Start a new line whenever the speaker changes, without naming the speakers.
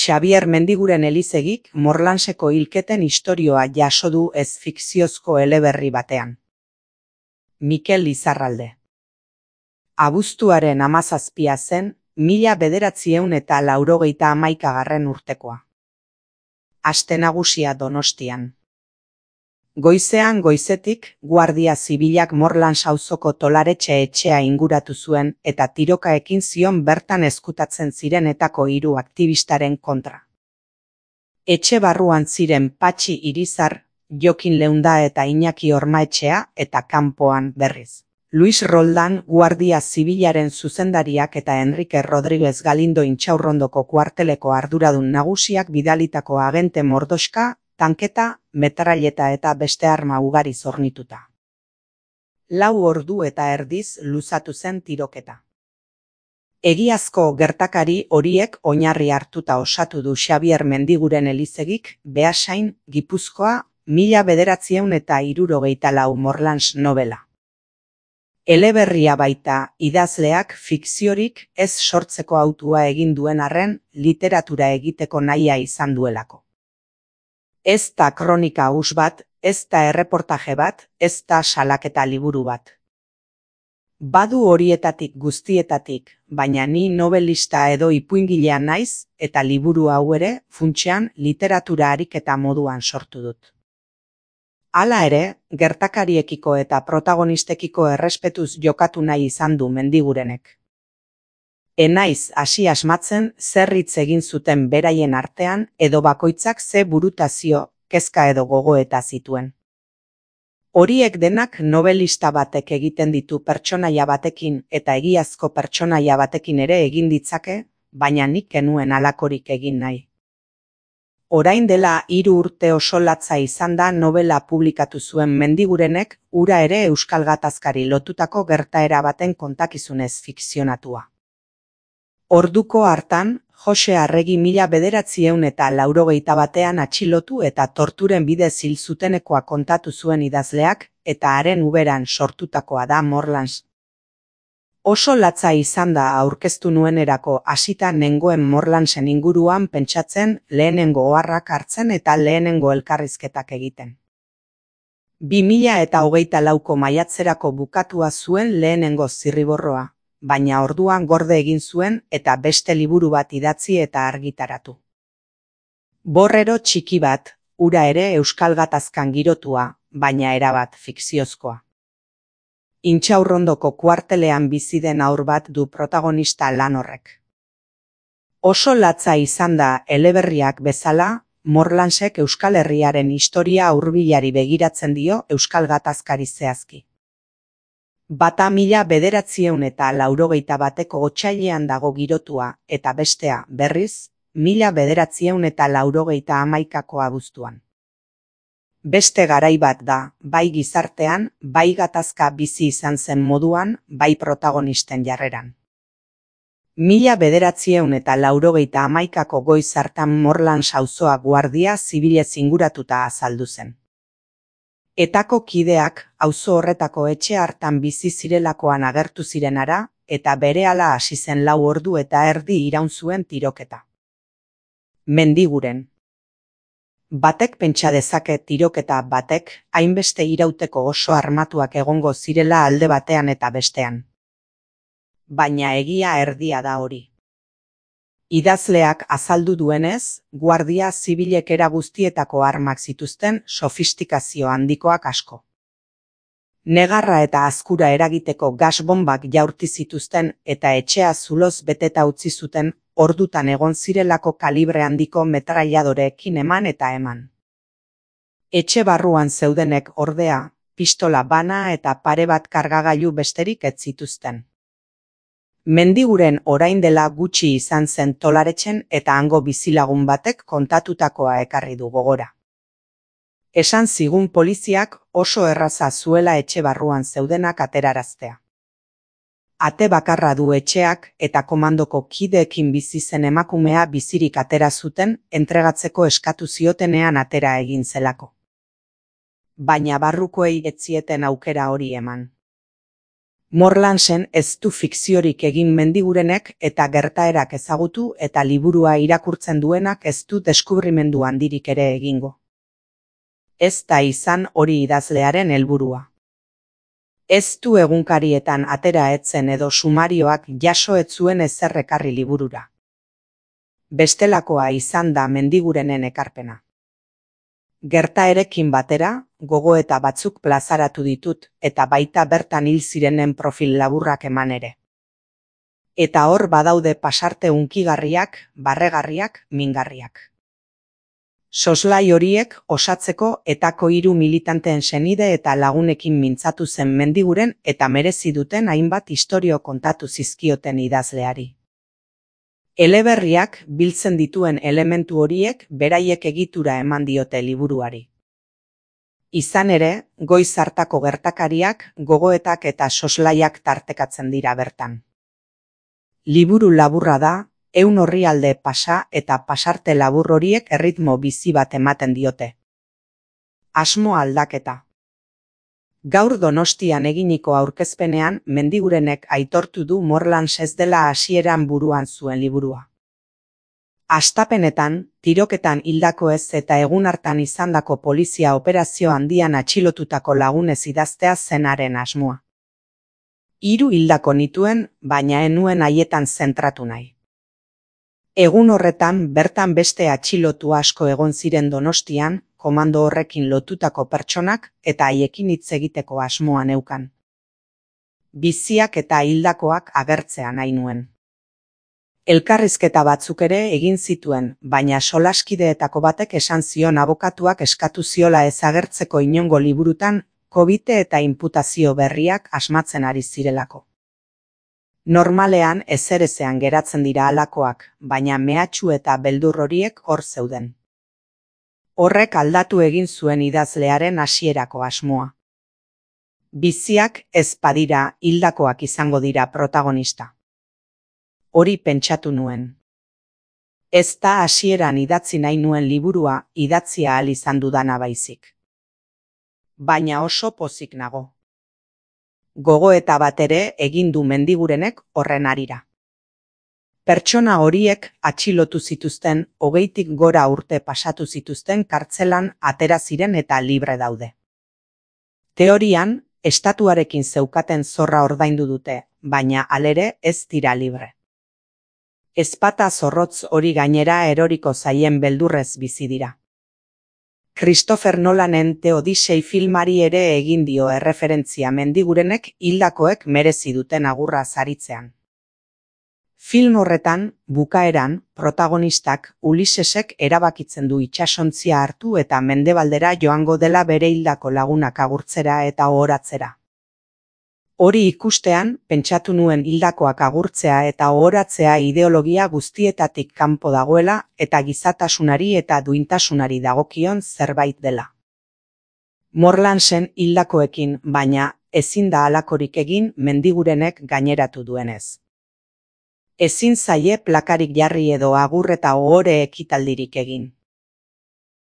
Xabier Mendiguren Elizegik Morlanseko hilketen istorioa jaso du ez fikziozko eleberri batean. Mikel Lizarralde. Abuztuaren 17 zen, 1991 urtekoa. Aste nagusia Donostian. Goizean goizetik, Guardia Zibilak Morlans auzoko Tolaretxe etxea inguratu zuen eta tiroka ekin zion bertan ezkutatzen zirenetako 3 aktivistaren kontra. Etxe barruan ziren Patxi Irizar, Jokin Leunda eta Iñaki Ormaetxea eta kanpoan berriz. Luis Roldan, Guardia Zibilaren zuzendariak eta Enrique Rodríguez Galindo Intxaurrondoko kuarteleko arduradun nagusiak bidalitako agente mordoxka, tanketa, metralleta eta beste arma ugari zornituta. 4 ordu eta erdiz luzatu zen tiroketa. Egiazko gertakari horiek oinarri hartuta osatu du Xabier Mendiguren Elizegik Beasain, Gipuzkoa, 1964 Morlans novela. Eleberria baita idazleak fikziorik ez sortzeko hautua egin duen arren literatura egiteko nahia izan duelako. Ez da kronika huts bat, ez da erreportaje bat, ez da salaketa liburu bat. Badu horietatik guztietatik, baina ni nobelista edo ipuingilea naiz eta liburu hau ere funtsean literatura ariketa moduan sortu dut. Hala ere, gertakariekiko eta protagonistekiko errespetuz jokatu nahi izan du Mendigurenek. Enaiz hasi asmatzen zer hitz egin zuten beraien artean edo bakoitzak ze burutazio, kezka edo gogoeta zituen. Horiek denak nobelista batek egiten ditu pertsonaia batekin eta egiazko pertsonaia batekin ere egin ditzake, baina nik kenuen halakorik egin nahi. Orain dela 3 urte oso latza izan da novela publikatu zuen Mendigurenek hura ere euskal gatazkari lotutako gertaera baten kontakizunez fikzionatua. Orduko hartan, Jose Arregi 1981 atxilotu eta torturen bidez hil zutenekoa kontatu zuen idazleak eta haren uberan sortutakoa da Morlans. Oso latza izan da aurkeztu nuenerako hasita nengoen Morlansen inguruan pentsatzen, lehenengo oharrak hartzen eta lehenengo elkarrizketak egiten. 2024ko maiatzerako bukatua zuen lehenengo zirriborroa, baina orduan gorde egin zuen eta beste liburu bat idatzi eta argitaratu. Borrero txiki bat, hura ere euskal gatazkan girotua, baina erabat fikziozkoa. Intxaurrondoko kuartelean bizi den haur bat du protagonista lan horrek. Oso latza izan da eleberriak bezala, Morlansek Euskal Herriaren historia hurbilari begiratzen dio euskal gatazkari zehazki. Bata 1981ko otsailean dago girotua eta bestea, berriz, 1991ko abuztuan. Beste garai bat da, bai gizartean, bai gatazka bizi izan zen moduan, bai protagonisten jarreran. 1991ko goiz hartan Morlans auzoa Guardia Zibilez inguratuta azaldu zen. Etako kideak auzo horretako etxe hartan bizi zirelakoan agertu zirenara eta berehala hasi zen 4 ordu eta erdi iraun zuen tiroketa. Mendiguren. Batek pentsa dezake tiroketa batek hainbeste irauteko oso armatuak egongo zirela alde batean eta bestean. Baina egia erdia da hori. Idazleak azaldu duenez, Guardia Zibilek era guztietako armak zituzten sofistikazio handikoak asko. Negarra eta azkura eragiteko gasbombak jaurti zituzten eta etxea zuloz beteta utzi zuten ordutan egon zirelako kalibre handiko metrailladoreekin eman eta eman. Etxe barruan zeudenek ordea, pistola bana eta pare bat kargagailu besterik ez zituzten. Mendiguren orain dela gutxi izan zen Tolaretxen eta hango bizilagun batek kontatutakoa ekarri du gogora. Esan zigun poliziak oso erraza zuela etxe barruan zeudenak ateraraztea. Ate bakarra du etxeak eta komandoko kideekin bizi zen emakumea bizirik atera zuten entregatzeko eskatu ziotenean atera egin zelako. Baina barrukoei ez zieten aukera hori eman. Morlansen ez du fikziorik egin Mendigurenek eta gertaerak ezagutu eta liburua irakurtzen duenak ez du deskubrimendu handirik ere egingo. Ez da izan hori idazlearen helburua. Ez du egunkarietan atera etzen edo sumarioak jaso ez zuen ezer ekarri liburura. Bestelakoa izan da Mendigurenen ekarpena. Gertaerekin batera, gogoeta batzuk plazaratu ditut eta baita bertan hil zirenen profil laburrak eman ere. Eta hor badaude pasarte hunkigarriak, barregarriak, mingarriak. Soslai horiek osatzeko etako 3 militanteen senide eta lagunekin mintzatu zen Mendiguren eta merezi duten hainbat istorio kontatu zizkioten idazleari. Eleberriak biltzen dituen elementu horiek beraiek egitura eman diote liburuari. Izan ere, goiz hartako gertakariak, gogoetak eta soslaiak tartekatzen dira bertan. Liburu laburra da, 100 orrialde pasa eta pasarte labur horiek erritmo bizi bat ematen diote. Asmo aldaketa. Gaur Donostian eginiko aurkezpenean Mendigurenek aitortu du Morlans ez dela hasieran buruan zuen liburua. Hastapenetan, tiroketan hildako ez eta egun hartan izandako polizia operazio handian atxilotutako lagunez idaztea zenaren asmoa. 3 hildako nituen, baina ez nuen haietan zentratu nahi. Egun horretan bertan beste atxilotu asko egon ziren Donostian, komando horrekin lotutako pertsonak eta haiekin hitz egiteko asmoa neukan. Biziak eta hildakoak agertzea nahi nuen. Elkarrizketa batzuk ere egin zituen, baina solaskideetako batek esan zion abokatuak eskatu ziola ez agertzeko inongo liburutan, kobite eta inputazio berriak asmatzen ari zirelako. Normalean ezerezean geratzen dira halakoak, baina mehatxu eta beldur horiek hor zeuden. Horrek aldatu egin zuen idazlearen hasierako asmoa. Biziak ez badira hildakoak izango dira protagonista. Hori pentsatu nuen. Ez da hasieran idatzi nahi nuen liburua idatzia ahal izan dudana baizik. Baina oso pozik nago. Gogoeta bat ere egin du Mendigurenek horren harira. Pertsona horiek atxilotu zituzten 20tik gora urte pasatu zituzten kartzelan atera ziren eta libre daude. Teorian, estatuarekin zeukaten zorra ordaindu dute, baina halere ez dira libre. Ezpata zorrotz hori gainera eroriko zaien beldurrez bizi dira. Christopher Nolanen The Odyssey filmari ere egin dio erreferentzia Mendigurenek hildakoek merezi duten agurra saritzean. Film horretan, bukaeran, protagonistak Ulisesek erabakitzen du itsasontzia hartu eta mendebaldera joango dela bere hildako lagunak agurtzera eta ohoratzera. Hori ikustean, pentsatu nuen hildakoak agurtzea eta ohoratzea ideologia guztietatik kanpo dagoela eta gizatasunari eta duintasunari dagokion zerbait dela. Morlansen hildakoekin, baina ezin da halakorik egin Mendigurenek gaineratu duenez. Ezin zaie plakarik jarri edo agur eta ohore ekitaldirik egin.